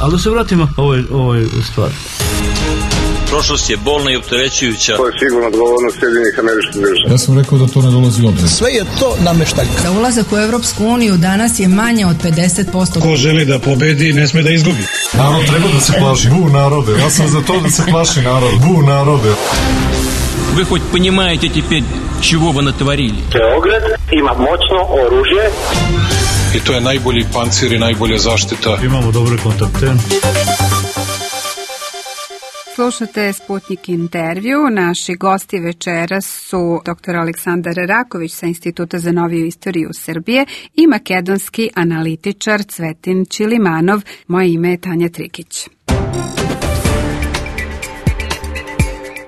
Ali da se vratimo ovoj stvari. Prošlost je bolna i opterećujuća. To je sigurno odgovornost Sjedinjenih Američkih Država. Ja sam rekao da to ne dolazi u obzir. Sve je to nameštaljka. Da ulazak u Evropsku uniju danas je manje od 50%. Ko želi da pobedi, ne sme da izgubi. Narod treba da se plaši. Bu narode. Ja sam za to da se plaši narod. Bu narode. Вы хоть понимаете теперь, чего вы натворили? Beograd ima moćno oružje. I to je najbolji pancir i najbolja zaštita. Imamo dobre kontakte. Slušate Sputnik intervju. Naši gosti večeras su dr. Aleksandar Raković sa Instituta za noviju istoriju Srbije i makedonski analitičar Cvetin Ćilimanov. Moje ime je Tanja Trikić.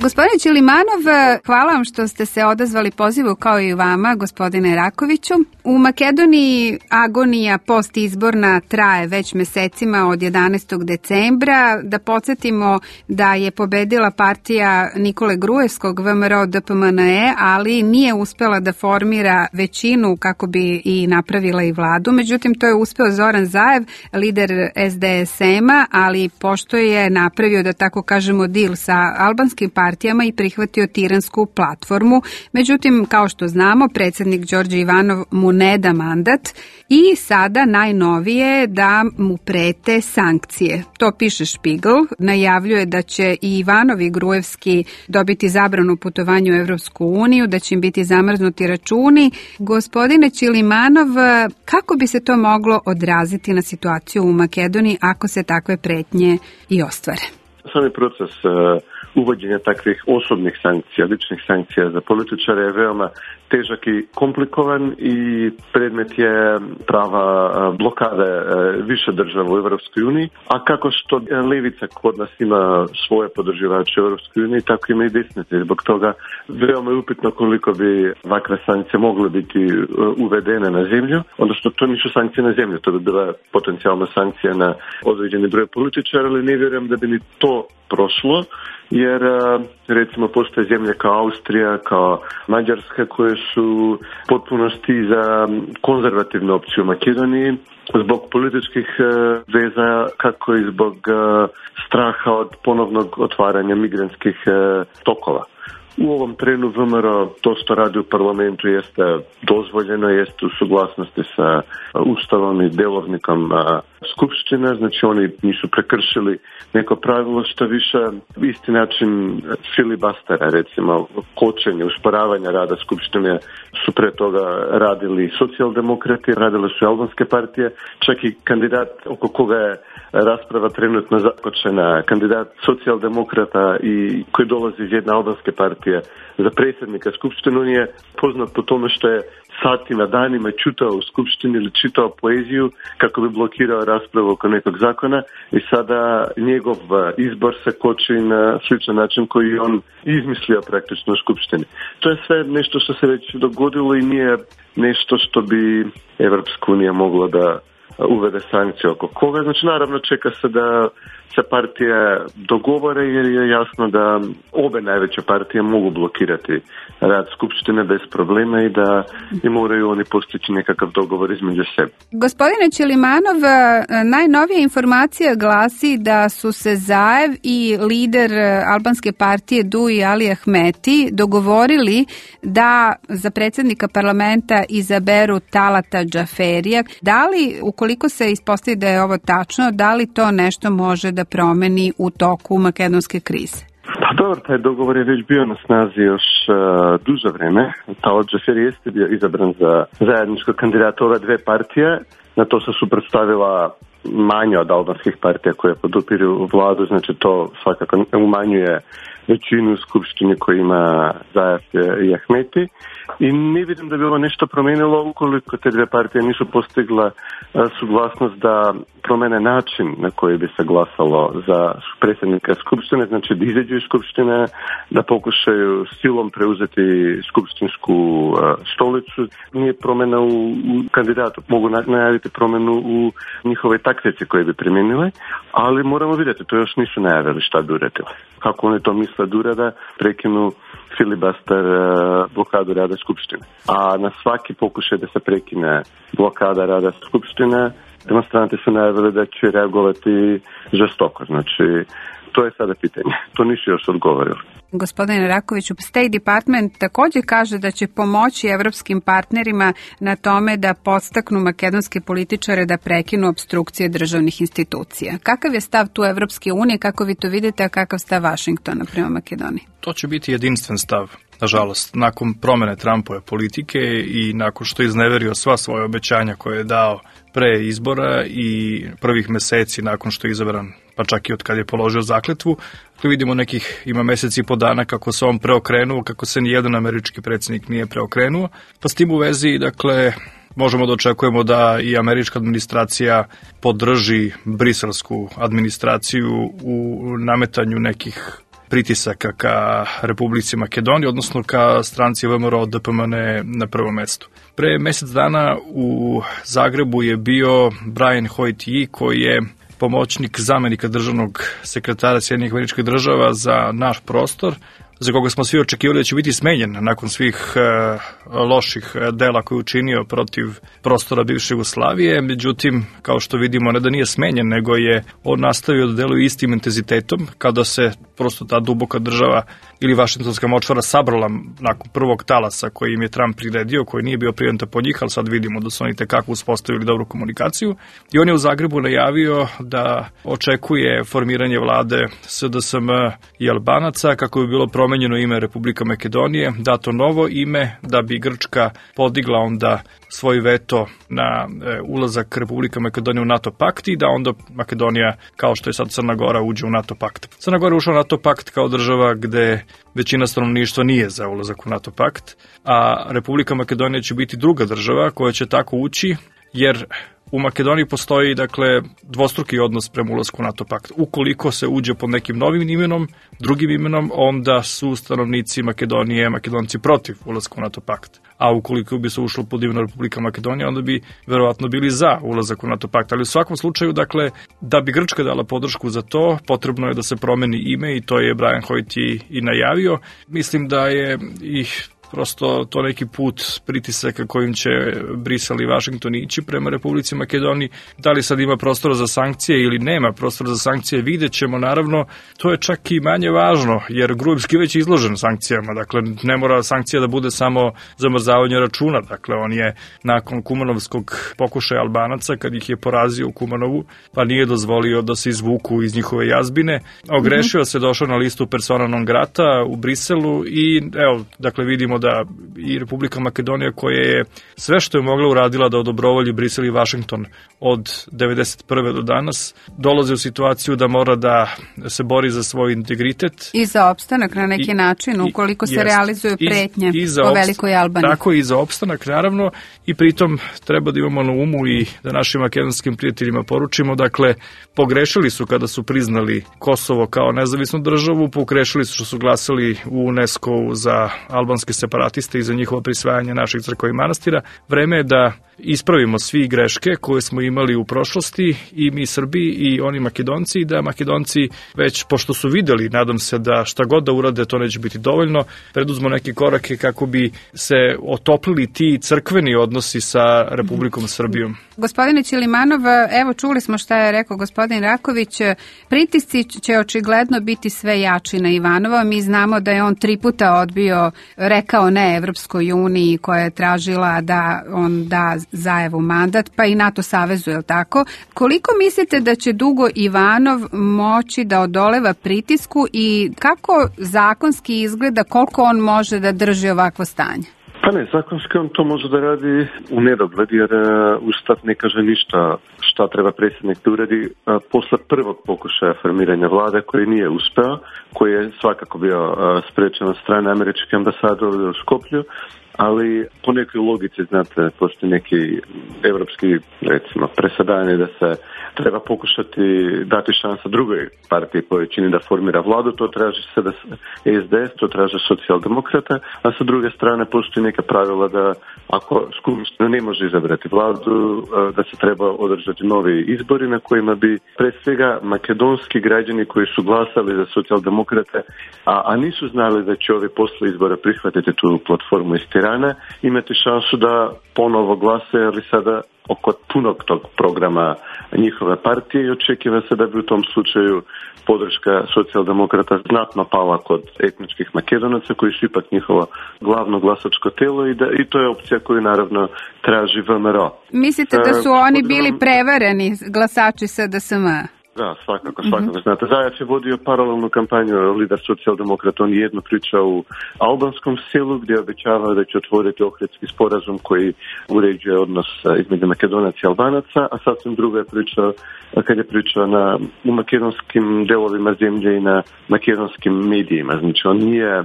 Gospodine Ćilimanov, hvala vam što ste se odazvali pozivu kao i vama, gospodine Rakoviću. U Makedoniji agonija postizborna traje već mesecima od 11. decembra. Da podsjetimo da je pobedila partija Nikole Gruevskog VMRO DPMNE, ali nije uspela da formira većinu kako bi i napravila i vladu. Međutim, to je uspeo Zoran Zaev, lider SDSM-a, ali pošto je napravio, da tako kažemo, deal sa albanskim partijama i prihvatio tiransku platformu. Međutim, kao što znamo, predsjednik Đorđe Ivanov mu ne da mandat i sada najnovije da mu prete sankcije. To piše Špigl, najavljuje da će i Ivanov i Gruevski dobiti zabranu putovanja u Evropsku uniju, da će im biti zamrznuti računi. Gospodine Ćilimanov, kako bi se to moglo odraziti na situaciju u Makedoniji ako se takve pretnje i ostvare? Sami proces uvođenja takvih osobnih sankcija, ličnih sankcija za političare je veoma težak i komplikovan i predmet je prava blokade više država u Evropskoj uniji, a kako što levica kod nas ima svoje podržavače u Evropskoj uniji, tako ima i desnice. Zbog toga veoma je upitno koliko bi ovakve sankcije mogle biti uvedene na zemlju, odnosno to nisu sankcije na zemlju, to bi bila potencijalna sankcija na određeni broj političara, ali ne vjerujem da bi ni to prošlo, jer recimo postoje zemlje kao Austrija, kao Mađarska koje su potpunosti za konzervativnu opciju u Makedoniji zbog političkih veza, kako i zbog straha od ponovnog otvaranja migrantskih tokova. U ovom trenu VMRO to što radi u parlamentu jeste dozvoljeno, jeste u suglasnosti sa ustavom i delovnikom skupštine, znači oni nisu prekršili neko pravilo, što više isti način filibastera, recimo kočenje, usporavanja rada skupštine su pre toga radili socijaldemokrati, radile su albanske partije, čak i kandidat oko koga je rasprava trenutno započena, kandidat socijaldemokrata i koji dolazi iz jedne albanske partije za predsjednika skupštine, on je poznat po tome što je satima, danima čutao u skupštini ili čitao poeziju kako bi blokirao raspravu oko nekog zakona i sada njegov izbor se koči na sličan način koji on izmislio praktično u skupštini. To je sve nešto što se već dogodilo i nije nešto što bi Evropska unija mogla da uvede sankcije oko koga. Znači naravno čeka se da se partije dogovore jer je jasno da obe najveće partije mogu blokirati rad skupštine bez problema i da moraju oni postići nekakav dogovor između sebe. Gospodine Ćilimanov, najnovija informacija glasi da su se Zaev i lider albanske partije Duji Ali Ahmeti dogovorili da za predsjednika parlamenta izaberu Talata Džaferija. Da li, ukoliko se ispostavi da je ovo tačno, da li to nešto može da promeni u toku makedonske krize? Pa dobro, taj dogovor je već bio na snazi još duže vreme. Talat Džaferi jeste bio izabran za zajedničkog kandidata ove dve partije. Na to se suprotstavila manje od albanskih partija koje podupiru vladu, znači to svakako umanjuje većinu u skupštini koji ima Zaev i Ahmeti. I ne vidim da bi ovo nešto promenilo ukoliko te dve partije nisu postigla suglasnost da promene način na koji bi se glasalo za predsjednika skupštine, znači da izađu iz skupštine, da pokušaju silom preuzeti skupštinsku stolicu. Nije promjena u kandidatu, mogu najaviti promjenu u njihovoj taktici koje bi primijenile, ali moramo vidjeti, to još nisu najavili šta bi uradili. Kako oni to misle da urada, prekinu filibuster blokadu rada skupštine. A na svaki pokušaj da se prekine blokada rada skupštine demonstranti su najavili da će reagovati žestoko. Znači, to je sada pitanje. To nisu još odgovorili. Gospodine Rakoviću, State Department također kaže da će pomoći evropskim partnerima na tome da podstaknu makedonske političare da prekinu opstrukcije državnih institucija. Kakav je stav tu Evropske unije, kako vi to vidite, a kakav stav Vašingtona prema Makedoniji? To će biti jedinstven stav, nažalost. Nakon promene Trumpove politike i nakon što je izneverio sva svoje obećanja koje je dao pre izbora i prvih meseci nakon što je izabran, pa čak i od kad je položio zakletvu, vidimo ima meseci i po dana kako se on preokrenuo, kako se nijedan američki predsjednik nije preokrenuo. Pa s tim u vezi, dakle, možemo da očekujemo da i američka administracija podrži briselsku administraciju u nametanju nekih pritisaka ka Republici Makedoniji, odnosno ka stranci VMRO DPMN na prvom mestu. Pre mesec dana u Zagrebu je bio Brian Hoyt koji je pomoćnik zamenika državnog sekretara Sjedinjenih Američkih Država za naš prostor, za koga smo svi očekivali da će biti smenjen nakon svih loših dela koje je učinio protiv prostora bivše Jugoslavije. Međutim, kao što vidimo, ne da nije smenjen, nego je on nastavio da deluje istim intenzitetom kada se prosto ta duboka država ili vašingtonska močvara sabrala nakon prvog talasa koji im je Trump priredio, koji nije bio prijenta po njih, ali sad vidimo da su oni tekako uspostavili dobru komunikaciju. I on je u Zagrebu najavio da očekuje formiranje vlade SDSM i Albanaca, kako bi bilo promenjeno ime Republika Makedonije, dato novo ime, da bi Grčka podigla onda svoj veto na ulazak Republika Makedonije u NATO pakt i da onda Makedonija, kao što je sad Crna Gora, uđe u NATO pakt. Crna Gora ušla u NATO pakt kao država gde većina stanovništva nije za ulazak u NATO pakt, a Republika Makedonija će biti druga država koja će tako ući, jer u Makedoniji postoji, dakle, dvostruki odnos prema ulasku u NATO pakt. Ukoliko se uđe pod nekim novim imenom, drugim imenom, onda su stanovnici Makedonije, Makedonci protiv ulaska u NATO pakt. A ukoliko bi se ušlo pod imenom Republika Makedonija, onda bi verovatno bili za ulazak u NATO pakt. Ali u svakom slučaju, dakle, da bi Grčka dala podršku za to, potrebno je da se promeni ime i to je Brian Hoyt i najavio. Mislim da je prosto to neki put pritisaka kojim će Brisel i Vašington ići prema Republici Makedoniji. Da li sad ima prostora za sankcije ili nema prostora za sankcije, vidjet ćemo. Naravno, to je čak i manje važno, jer Grujevski već je izložen sankcijama. Dakle, ne mora sankcija da bude samo zamrzavanje računa. Dakle, on je nakon kumanovskog pokušaja Albanaca, kad ih je porazio u Kumanovu, pa nije dozvolio da se izvuku iz njihove jazbine. Ogrešio se, došao na listu persona non grata u Briselu i evo, dakle, vidimo da i Republika Makedonija, koja je sve što je mogla uradila da odobrovolji Brisel i Vašington od 1991. do danas, dolazi u situaciju da mora da se bori za svoj integritet. I za opstanak na neki način, ukoliko se realizuju pretnje o Velikoj Albaniji. Tako i za opstanak, naravno, i pritom treba da imamo na umu i da našim makedonskim prijateljima poručimo, dakle, pogrešili su kada su priznali Kosovo kao nezavisnu državu, pogrešili su što su glasali u UNESCO za albanske separatiste i za njihovo prisvajanje naših crkava i manastira. Vreme je da ispravimo svi greške koje smo imali u prošlosti, i mi Srbi i oni Makedonci, i da Makedonci već, pošto su videli, nadam se da šta god da urade, to neće biti dovoljno, preduzmo neke korake kako bi se otoplili ti crkveni odnosi sa Republikom Srbijom. Gospodine Ćilimanov, evo čuli smo šta je rekao gospodin Raković, pritisci će očigledno biti sve jači na Ivanova. Mi znamo da je on 3 puta odbio, rekao ne Evropskoj uniji koja je tražila da on da Zajevu mandat, pa i NATO savezu, je li tako? Koliko mislite da će dugo Ivanov moći da odoleva pritisku i kako zakonski izgleda, koliko on može da drži ovakvo stanje? Pa ne, zakonski on to može da radi u nedogled, jer Ustav ne kaže ništa šta treba predsjednik da uradi posle prvog pokušaja formiranja vlade koji nije uspeo, koji je svakako bio sprečen od strane američke ambasade u Skoplju, ali po nekoj logici, znate, postoji neki evropski, recimo, presadanje da se treba pokušati dati šansa drugoj partiji po većini da formira vladu, to traži sada SDS, to traže socijaldemokrate, a sa druge strane postoji neka pravila da ako skupština ne može izabrati vladu, da se treba održati novi izbori na kojima bi pre svega makedonski građani koji su glasali za socijaldemokrate, a nisu znali da će ovi posle izbora prihvatiti tu platformu iz Tirane, imati šansu da ponovo glase, ali sada oko punog tog programa njihove partije i očekiva se da bi u tom slučaju podrška socijaldemokrata znatno pala kod etničkih Makedonaca koji su ipak njihovo glavno glasačko telo i to je opcija koju naravno traži VMRO. Mislite da su oni bili prevareni glasači SDSM? Da, svakako. Znate, Zajev je vodio paralelnu kampanju, lider socijaldemokrata, on jedno priča u albanskom selu gdje obećava da će otvoriti Ohridski sporazum koji uređuje odnos između Makedonaca i Albanaca, a sasvim drugo je pričao kad je pričao u makedonskim delovima zemlje i na makedonskim medijima. Znači, on nije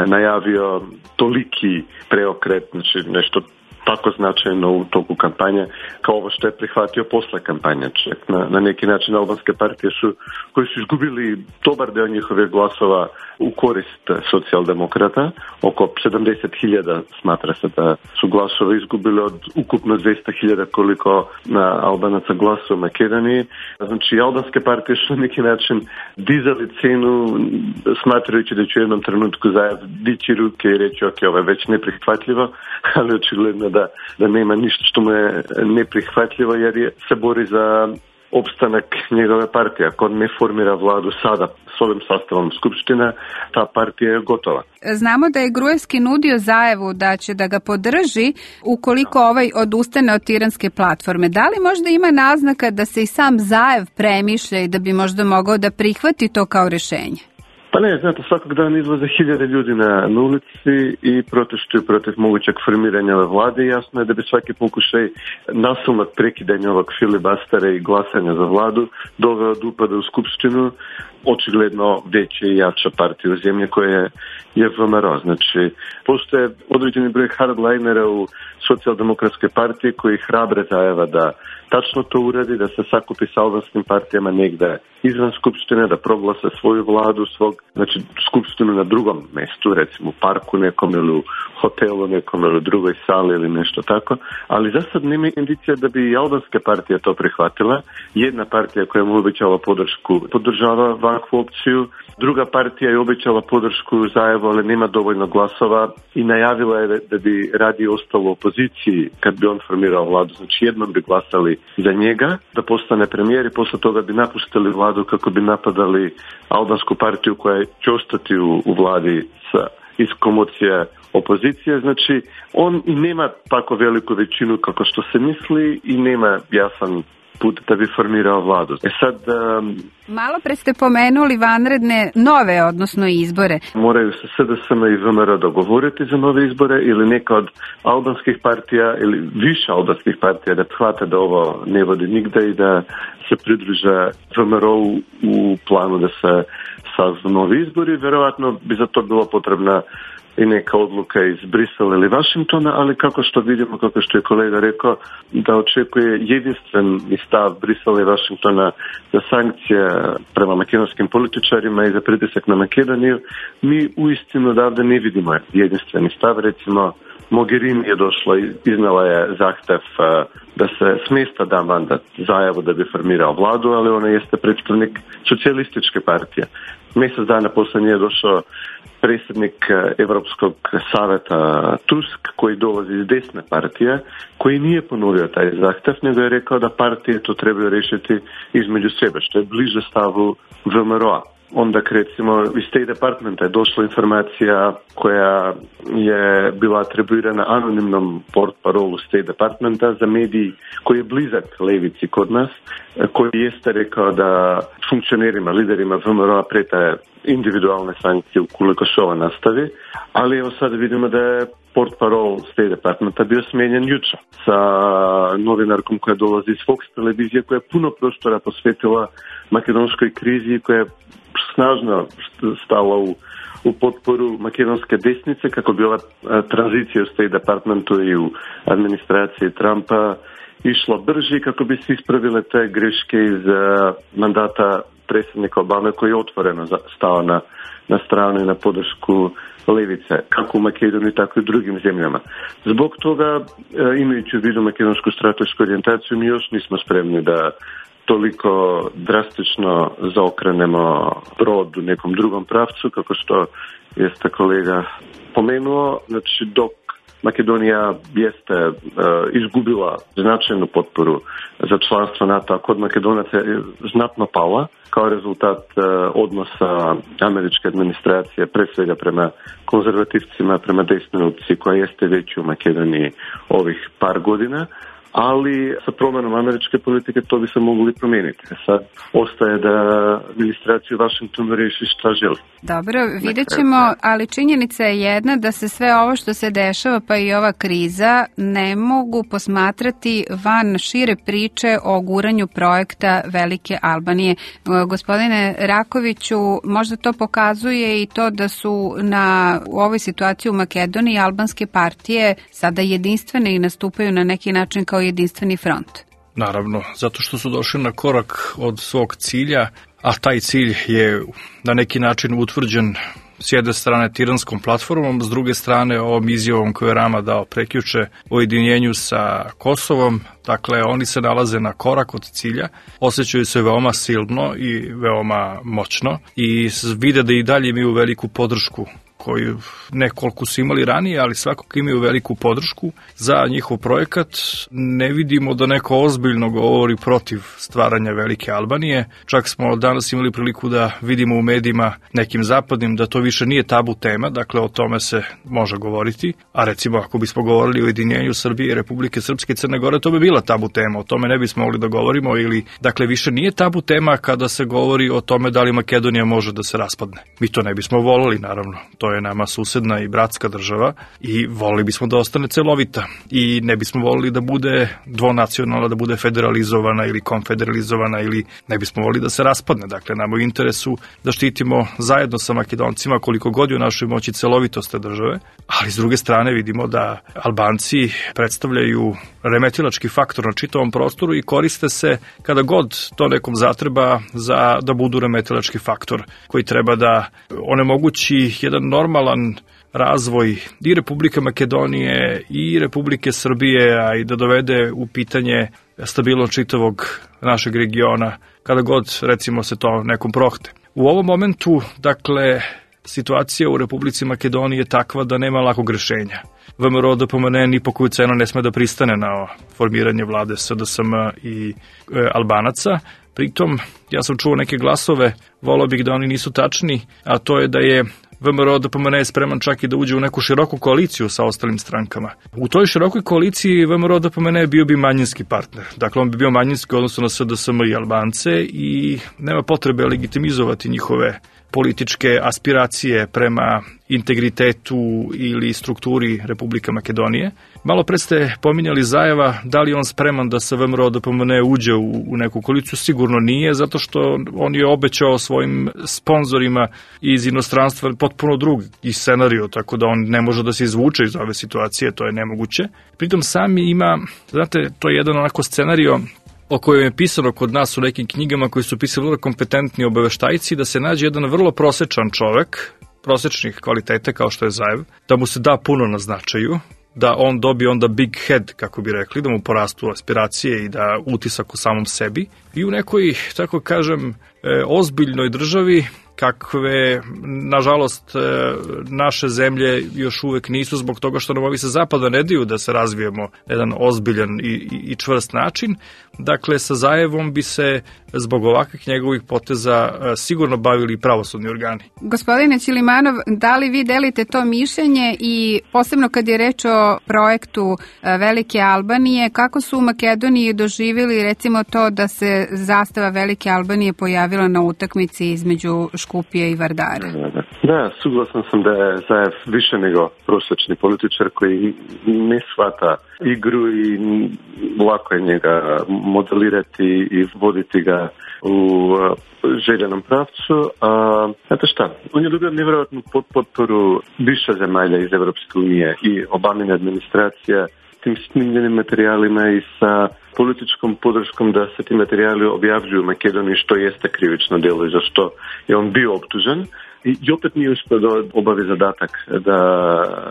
najavio toliki preokret, znači nešto tako značajno u toku kampanje kao ovo što je prihvatio posle kampanje. Na neki način albanske partije koji su izgubili dobar deo njihovih glasova u korist socijaldemokrata. Oko 70.000 smatra se da su glasove izgubili od ukupno 200.000 koliko na Albanaca glasa u Makedoniji. Znači, albanske partije su na neki način dizali cenu smatrajući da će u jednom trenutku Zajev dići ruke i reći ok, ovo je već neprihvatljivo, ali očigledno da nema ništa što mu je neprihvatljivo jer se bori za opstanak njegove partije. Ako ne formira vladu sada s ovim sastavom skupština, ta partija je gotova. Znamo da je Gruevski nudio Zajevu da će da ga podrži ukoliko odustane od tiranske platforme. Da li možda ima naznaka da se i sam Zajev premišlja i da bi možda mogao da prihvati to kao rješenje? Pa ne, znate, svakog dana izlaze hiljade ljudi na ulici i protestuju protiv mogućeg formiranja ove vlade. Jasno je da bi svaki pokušaj nasilnog prekidanja ovog filibastera i glasanja za vladu doveo do upada u skupštinu očigledno veća i jača partija u zemlji koja je VMRO. Znači, postoje određeni broj hardlinera u socijaldemokratskoj partiji koji hrabre Zajeva da tačno to uradi, da se sakupi sa albanskim partijama negde izvan skupštine, da proglasa svoju vladu, znači skupštinu na drugom mestu, recimo u parku nekom ili u hotelu nekom ili u drugoj sali ili nešto tako, ali za sad nema indicija da bi i albanska partija to prihvatila. Jedna partija koja mu obećala podršku podržava ovakvu opciju, druga partija je obećala podršku Zajevu, ali nema dovoljno glasova i najavila je da bi radije ostalo u opoziciji kad bi on formirao vladu. Znači jednom bi glasali za njega da postane premijer i posle toga bi napustili vladu kako bi napadali albansku partiju koja će ostati u vladi iz komocije opozicije. Znači on i nema tako veliku većinu kako što se misli i nema jasan put da bi formirao vladu. Malo pre ste pomenuli vanredne nove, odnosno izbore. Moraju se SDSM i VMRO dogovoriti za nove izbore ili neka od albanskih partija ili više albanskih partija da shvate da ovo ne vodi nigde i da se pridruže VMRO u planu da se sazvu novi izbori. Verovatno bi za to bilo potrebna i neka odluka iz Brisela ili Vašingtona, ali kako što vidimo, kako što je kolega rekao, da očekuje jedinstven stav Brisela i Vašingtona za sankcije prema makedonskim političarima i za pritisak na Makedoniju, mi uistinu odavde ne vidimo jedinstveni stav. Recimo, Mogherini je došla i iznala je zahtev da se smjesta da mandat Zajevu da bi formirao vladu, ali ona jeste predstavnik socijalističke partije. Mjesec dana poslije nje je došao predsjednik Evropskog saveta Tusk, koji dolazi iz desne partije, koji nije ponovio taj zahtev, nego je rekao da partije to trebaju riješiti između sebe, što je bliže stavu VMRO-a. Onda, recimo, iz State Departmenta je došla informacija koja je bila atribuirana anonimnom portparolu State Departmenta za mediji koji je blizak levici kod nas, koji jeste rekao da funkcionerima, liderima VMRO-a pretaje individualne sankcije ukoliko se ovo nastavi, ali evo sad vidimo da je portparol State Departmenta bio smijenjen jučer sa novinarkom koja dolazi iz Fox televizije, koja je puno prostora posvetila makedonskoj krizi, koja je snažno stala u potporu makedonske desnice kako bi ova tranzicija u State Departmentu i u administraciji Trumpa išla brži, kako bi se ispravile te greške iz mandata predsjednika Obame koji je otvoreno stao na stranu i na podršku levice, kako u Makedoniji, tako i u drugim zemljama. Zbog toga, imajući u vidu makedonsku stratešku orijentaciju, mi još nismo spremni da toliko drastično zaokrenemo brod u nekom drugom pravcu, kako što jeste kolega pomenuo. Znači, dok Makedonija jeste izgubila značajnu potporu za članstvo NATO, a kod Makedonaca je znatno pala kao rezultat odnosa američke administracije, pre svega prema konzervativcima, prema desnoj opciji koja jeste već u Makedoniji ovih par godina. Ali sa promenom američke politike to bi se mogli promijeniti. Sad ostaje da administraciju Vašingtonu riješi šta želi. Dobro, vidjet ćemo, ali činjenica je jedna da se sve ovo što se dešava, pa i ova kriza, ne mogu posmatrati van šire priče o guranju projekta Velike Albanije. Gospodine Rakoviću, možda to pokazuje i to da su u ovoj situaciji u Makedoniji albanske partije sada jedinstvene i nastupaju na neki način kao jedinstveni front. Naravno, zato što su došli na korak od svog cilja, a taj cilj je na neki način utvrđen s jedne strane tiranskom platformom, s druge strane ovom izjavom koju je Rama dao prekjuče o ujedinjenju sa Kosovom. Dakle, oni se nalaze na korak od cilja, osjećaju se veoma silno i veoma moćno i vide da i dalje imaju veliku podršku koju nekoliko su imali ranije, ali svakako imaju veliku podršku za njihov projekat. Ne vidimo da neko ozbiljno govori protiv stvaranja Velike Albanije. Čak smo danas imali priliku da vidimo u medijima nekim zapadnim da to više nije tabu tema, dakle o tome se može govoriti. A recimo ako bismo govorili o ujedinjenju Srbije i Republike Srpske i Crne Gore, to bi bila tabu tema, o tome ne bismo mogli da govorimo ili, dakle, više nije tabu tema kada se govori o tome da li Makedonija može da se raspadne. Mi to ne bismo voleli, naravno. To je nama susedna i bratska država i volili bismo da ostane celovita i ne bismo volili da bude dvonacionalna, da bude federalizovana ili konfederalizovana ili ne bismo volili da se raspadne. Dakle, nam u interesu da štitimo zajedno sa Makedoncima koliko god je u našoj moći celovitost te države, ali s druge strane vidimo da Albanci predstavljaju remetilački faktor na čitavom prostoru i koriste se kada god to nekom zatreba da budu remetilački faktor koji treba da onemogući jedan normalan razvoj i Republike Makedonije i Republike Srbije, a i da dovede u pitanje stabilnost čitavog našeg regiona kada god, recimo, se to nekom prohte. U ovom momentu, dakle, situacija u Republici Makedoniji je takva da nema lakog rešenja. VMRO DPMNE ni po koju cenu ne sme da pristane na formiranje vlade SDSM i Albanaca. Pritom, ja sam čuo neke glasove, volao bih da oni nisu tačni, a to je da je VMRO DPMNE je spreman čak i da uđe u neku široku koaliciju sa ostalim strankama. U toj širokoj koaliciji VMRO DPMNE bio bi manjinski partner. Dakle, on bi bio manjinski u odnosu na SDSM i Albance i nema potrebe legitimizovati njihove političke aspiracije prema integritetu ili strukturi Republike Makedonije. Malo pre ste pominjali Zajeva, da li on spreman da sa VMRO DPMNE uđe u neku koaliciju? Sigurno nije, zato što on je obećao svojim sponzorima iz inostranstva potpuno drugi scenario, tako da on ne može da se izvuče iz ove situacije, to je nemoguće. Pritom sami ima, znate, to je jedan onako scenario o kojem je pisano kod nas u nekim knjigama koji su pisali vrlo kompetentni obaveštajci, da se nađe jedan vrlo prosečan čovek, prosečnih kvaliteta kao što je Zajev, da mu se da puno na značaju, da on dobije onda big head, kako bi rekli, da mu porastu aspiracije i da utisak u samom sebi. I u nekoj, tako kažem, ozbiljnoj državi, kakve, nažalost, naše zemlje još uvek nisu, zbog toga što nam ovi sa zapada ne daju da se razvijemo na jedan ozbiljan i čvrst način. Dakle, sa Zajevom bi se zbog ovakvih njegovih poteza sigurno bavili pravosudni organi. Gospodine Ćilimanov, da li vi delite to mišljenje i posebno kad je reč o projektu Velike Albanije, kako su u Makedoniji doživjeli recimo to da se zastava Velike Albanije pojavila na utakmici između Škupije i Vardara? Da, suglasan sam da je Zajev više nego prosječni političar koji ne shvata igru i lako je njega modelirati i voditi ga u željenom pravcu. Znate šta, on je dobio nevjerojatnu potporu više zemalja iz Evropske unije i Obamine administracija tim snimljenim materijalima i sa političkom podrškom da se ti materijali objavljuju u Makedoniji, što jeste krivično djelo i za što je on bio optužen. I opet nije uspio da obavi zadatak da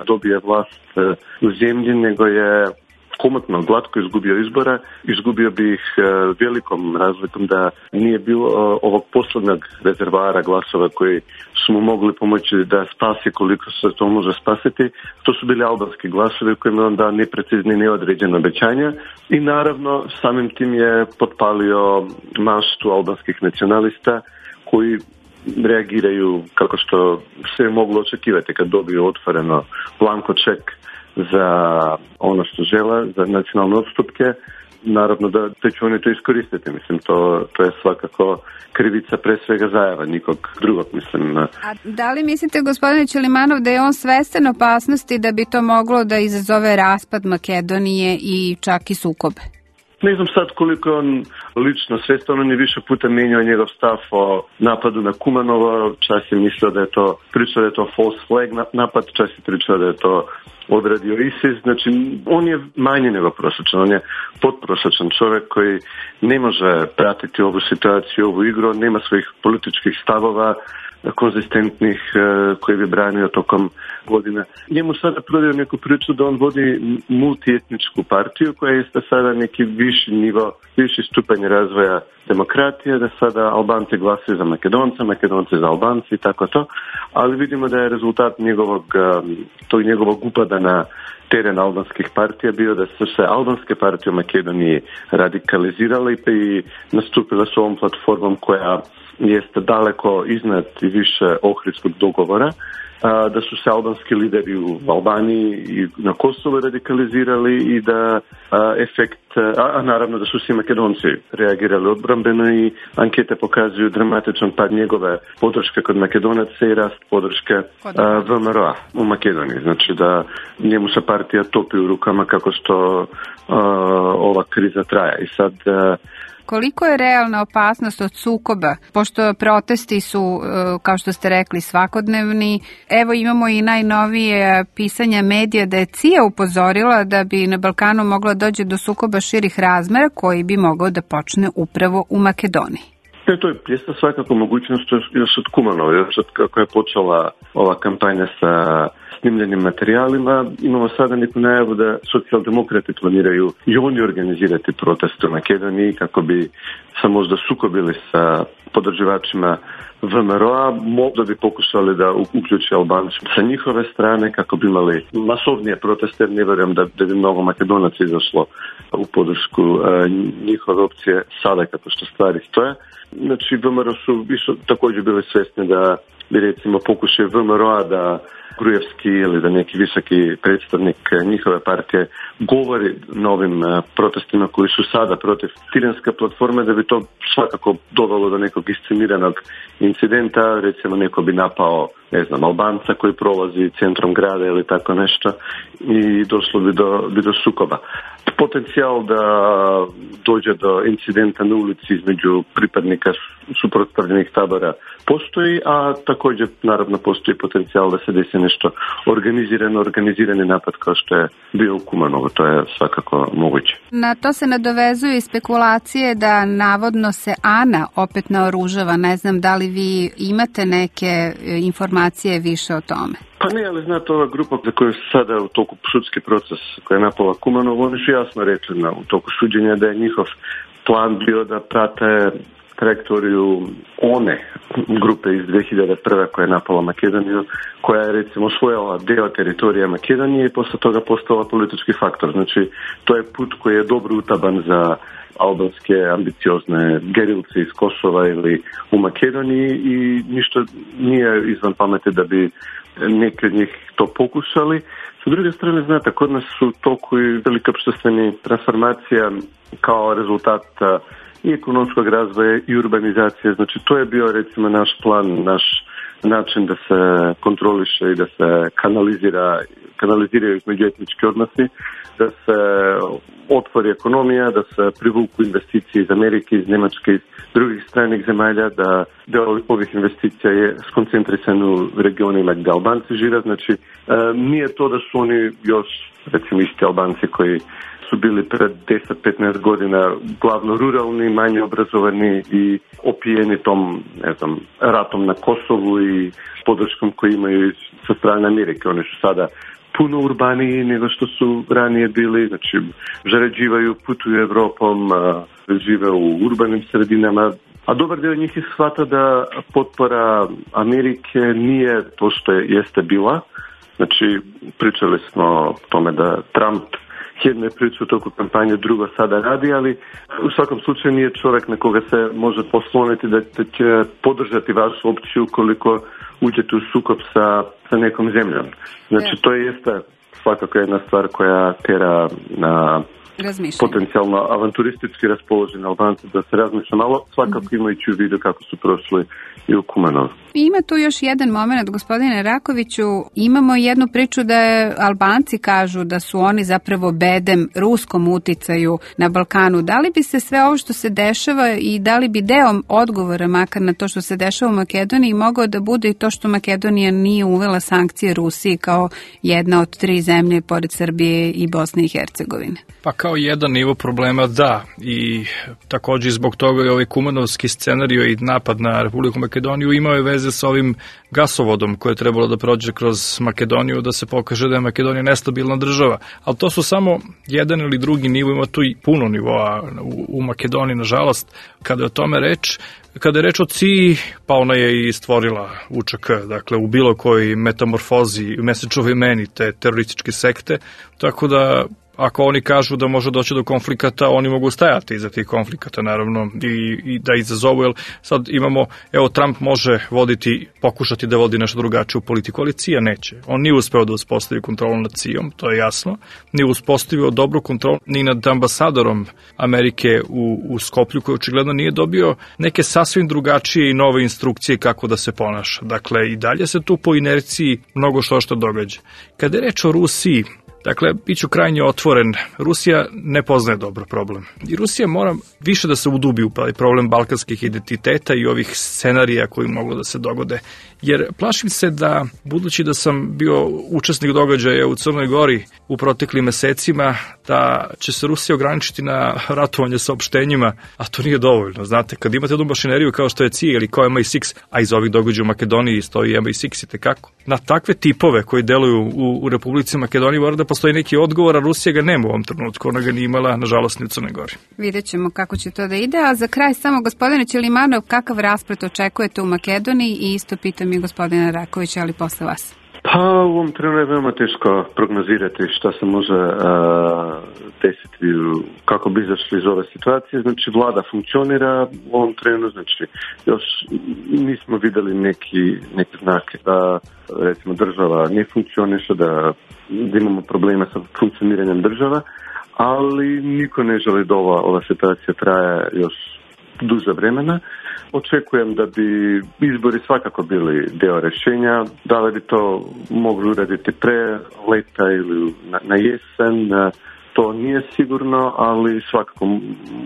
dobije vlast u zemlji, nego je komotno, glatko izgubio izbora, izgubio bi ih velikom razlikom da nije bilo ovog poslednog rezervara glasova koji su mu mogli pomoći da spasi koliko se to može spasiti. To su bili albanski glasovi kojima on dao neprecizni, neodređene obećanja i naravno samim tim je potpalio maštu albanskih nacionalista koji reagiraju kako što se je moglo očekivati kad dobiju otvoreno blanko ček za ono što žele, za nacionalne odstupke. Naravno da će oni to iskoristiti. Mislim, to je svakako krivica pre svega Zajeva, nikog drugog, mislim. A da li mislite, gospodine Ćelimanov, da je on svestan opasnosti da bi to moglo da izazove raspad Makedonije i čak i sukobe? Ne znam sad koliko on lično svestan, on je više puta menjao njegov stav o napadu na Kumanovo, čas je mislio da je to, pričao da je to false flag napad, čas je pričao da je to odradio ISIS, znači on je manje nego prosječan, on je podprosječan čovjek koji ne može pratiti ovu situaciju, ovu igru, nema svojih političkih stavova konzistentnih koji bi branio tokom godina. Njemu sada prodaju neku priču da on vodi multietničku partiju koja je sada neki viši nivo, viši stupanj razvoja demokratije, da sada Albanci glasaju za Makedonce, Makedonci za Albanci i tako to, ali vidimo da je rezultat njegovog upada na teren albanskih partija bio da su se albanske partije u Makedoniji radikalizirale i nastupile s ovom platformom koja jeste daleko iznad i više Ohridskog dogovora, da su se albanski lideri u Albaniji i na Kosovu radikalizirali i da naravno da su svi Makedonci reagirali odbrambeno i ankete pokazuju dramatičan pad njegove podrške kod Makedonaca i rast podrške VMRO-a u Makedoniji. Znači da njemu se partija topi u rukama kako što ova kriza traja. I sad koliko je realna opasnost od sukoba, pošto protesti su, kao što ste rekli, svakodnevni. Evo imamo i najnovije pisanja medija da je CIA upozorila da bi na Balkanu moglo doći do sukoba širih razmera koji bi mogao da počne upravo u Makedoniji. To je jeste svakako mogućnost još od Kumanova, još od kako je počela ova kampanja sa snimljenim materijalima. Imamo sada neku najavu da socijaldemokrati planiraju i oni organizirati proteste u Makedoniji kako bi se možda sukobili sa podržavačima VMRO-a, možda bi pokušali da uključi Albanci sa njihove strane kako bi imali masovnije proteste, jer ne vjerujem da bi mnogo Makedonaca izašlo u podršku njihove opcije sada kako što stvari stoje. Znači VMRO su također bili svjesni da bi recimo pokušaj VMRO-a da Grujevski ili da neki visoki predstavnik njihove partije govori na ovim protestima koji su sada protiv tiranske platforme, da bi to svakako dovelo do nekog isceniranog incidenta, recimo neko bi napao, ne znam, Albanca koji prolazi centrom grada ili tako nešto i došlo bi do sukoba. Potencijal da dođe do incidenta na ulici između pripadnika suprotstavljenih tabora postoji, a također naravno postoji potencijal da se desi nešto organizirani napad kao što je bio u Kumanovu, to je svakako moguće. Na to se nadovezuju i spekulacije da navodno se Ana opet naoružava, ne znam da li vi imate neke informacije više o tome? Pa ne, ali znate, ova grupa za koju sada u toku sudski proces koja je napala Kumanovu, oni su jasno rekli u toku suđenja da je njihov plan bio da prate trajektoriju one grupe iz 2001. koja je napala Makedoniju, koja je recimo osvojila deo teritorija Makedonije i posle toga postala politički faktor. Znači, to je put koji je dobro utaban za albanske ambiciozne gerilce iz Kosova ili u Makedoniji i ništa nije izvan pameti da bi neki od njih to pokušali. S druge strane, znate, kod nas su toku i velika opštveni transformacija kao rezultat i ekonomskog razvoja i urbanizacije. Znači, to je bio recimo naš plan, naš način da se kontroliše i da se kanaliziraju međuetnički odnosi, da se otvori ekonomija, da se privuku investicije iz Amerike, iz Njemačke, iz drugih stranih zemalja, da deo ovih investicija je skoncentrisan u regionima gdje Albanci žive. Znači, nije to da su oni još, recimo, isti Albanci koji su bili pred 10-15 godina glavno ruralni, manje obrazovani i opijeni tom, ne znam, ratom na Kosovu i podrškom koji imaju sa strane Amerike. Oni su sada puno urbaniji nego što su ranije bili, znači zarađivaju, putuju Evropom, žive u urbanim sredinama, a dobar dio njih shvata da potpora Amerike nije to što jeste bila. Znači, pričali smo o tome da Trump jedno je pričao u toku kampanje, drugo sada radi, ali u svakom slučaju nije čovjek na koga se može posloniti da će podržati vašu opciju koliko uđete u sukob sa nekom zemljom. Znači, to jeste svakako jedna stvar koja tera na potencijalno avanturistički raspoloženi Albanci da se razmišlja malo, svakako imajući u vidu kako su prošli i u Kumanovu. Ima tu još jedan moment, gospodine Rakoviću. Imamo jednu priču da Albanci kažu da su oni zapravo bedem ruskom uticaju na Balkanu. Da li bi se sve ovo što se dešava i da li bi deo odgovora makar na to što se dešava u Makedoniji mogao da bude i to što Makedonija nije uvela sankcije Rusiji kao jedna od 3 zemlje pored Srbije i Bosne i Hercegovine? Pa kao jedan nivo problema da, i također zbog toga je ovaj kumanovski scenario i napad na Republiku Makedoniju imao je veze sa ovim gasovodom koje je trebalo da prođe kroz Makedoniju, da se pokaže da je Makedonija nestabilna država. Ali to su samo jedan ili drugi nivo, ima tu i puno nivoa u Makedoniji, nažalost. Kada je o tome reč, kada je reč o CIA, pa ona je i stvorila UČK, dakle u bilo kojoj metamorfozi, mesečovoj meni te terorističke sekte, tako da ako oni kažu da može doći do konflikata, oni mogu stajati iza tih konflikata, naravno, i da izazovu, jer sad imamo, evo, Trump može pokušati da vodi nešto drugačiju politiku, ali CIA neće. On nije uspeo da uspostavi kontrolu nad CIA-om, to je jasno, nije uspostavio dobru kontrolu ni nad ambasadorom Amerike u Skoplju, koji očigledno nije dobio neke sasvim drugačije i nove instrukcije kako da se ponaša. Dakle, i dalje se tu po inerciji mnogo što događa. Kada je reč o Rusiji, dakle, bit ću krajnje otvoren, Rusija ne poznaje dobro problem. I Rusija mora više da se udubi u problem balkanskih identiteta i ovih scenarija koji moglo da se dogode. Jer plašim se da, budući da sam bio učesnik događaja u Crnoj Gori u proteklim mesecima, da će se Rusija ograničiti na ratovanje saopštenjima, a to nije dovoljno. Znate, kad imate jednu mašineriju kao što je CIA ili kao MI6, a iz ovih događaja u Makedoniji stoji MI6 i tekako, na takve tipove koji deluju u Republici Makedoniji mora da postoji neki odgovor, a Rusija ga nema u ovom trenutku, ona ga nije imala, nažalost, ni u Crnoj Gori. Vidjet ćemo kako će to da ide, a za kraj samo, gospodine Ćelimanov, kakav rasplet očekujete u Makedoniji i isto pitam i gospodina Rakovića, ali posle vas. Pa u ovom trenutku je veoma teško prognozirati šta se može desiti, kako bi izašli iz ove situacije. Znači, vlada funkcionira u ovom trenutku, znači još nismo videli neki znake da, recimo, država ne funkcioniše, da imamo problema sa funkcioniranjem država, ali niko ne želi da ova situacija traje još duže vremena. Očekujem da bi izbori svakako bili deo rešenja, da li bi to mogli uraditi pre leta ili na jesen, to nije sigurno, ali svakako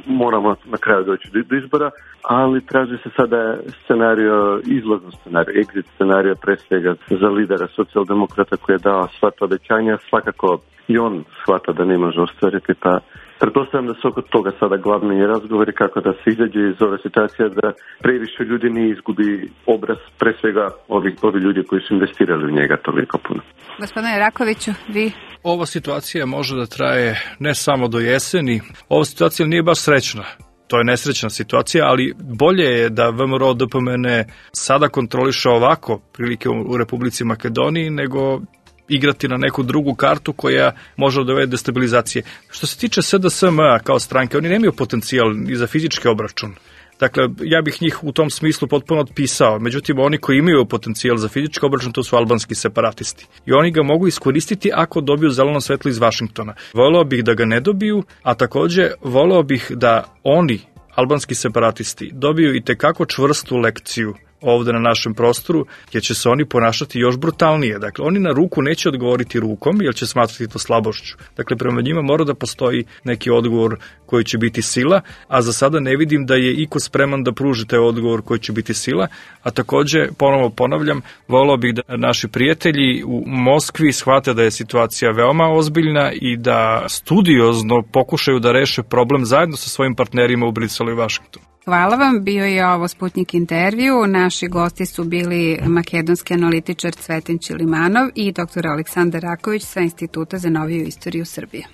moramo na kraju doći do izbora, ali traži se sada scenario, izlazno scenario, exit scenario pre svega za lidera socijaldemokrata koji je dao sva ta obećanja, svakako i on shvata da ne može ostvariti, pa pretpostavljam da su oko toga sada glavni razgovori kako da se izađe iz ove situacije, da previše ljudi ne izgubi obraz, pre svega ovi ljudi koji su investirali u njega toliko puno. Gospodine Rakoviću, vi? Ova situacija može da traje ne samo do jeseni, ova situacija nije baš srećna. To je nesrećna situacija, ali bolje je da VMRO DPMN sada kontroliše ovako prilike u Republici Makedoniji nego igrati na neku drugu kartu koja može da dovede destabilizacije. Što se tiče SDSM kao stranke, oni nemaju potencijal ni za fizički obračun. Dakle, ja bih njih u tom smislu potpuno otpisao. Međutim, oni koji imaju potencijal za fizički obračun, to su albanski separatisti. I oni ga mogu iskoristiti ako dobiju zeleno svetlo iz Vašingtona. Voleo bih da ga ne dobiju, a takođe voleo bih da oni, albanski separatisti, dobiju i tekako čvrstu lekciju ovde na našem prostoru, jer će se oni ponašati još brutalnije. Dakle, oni na ruku neće odgovoriti rukom, jer će smatrati to slabošću. Dakle, prema njima mora da postoji neki odgovor koji će biti sila, a za sada ne vidim da je iko spreman da pruži taj odgovor koji će biti sila, a takođe, ponovo ponavljam, voleo bih da naši prijatelji u Moskvi shvate da je situacija veoma ozbiljna i da studiozno pokušaju da reše problem zajedno sa svojim partnerima u Briselu i Vašingtonu. Hvala vam, bio je ovo Sputnik intervju. Naši gosti su bili makedonski analitičar Cvetin Ćilimanov i dr. Aleksandar Raković sa Instituta za noviju istoriju Srbije.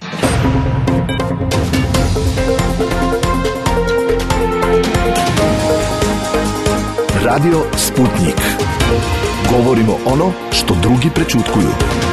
Radio Sputnik. Govorimo ono što drugi prećutkuju.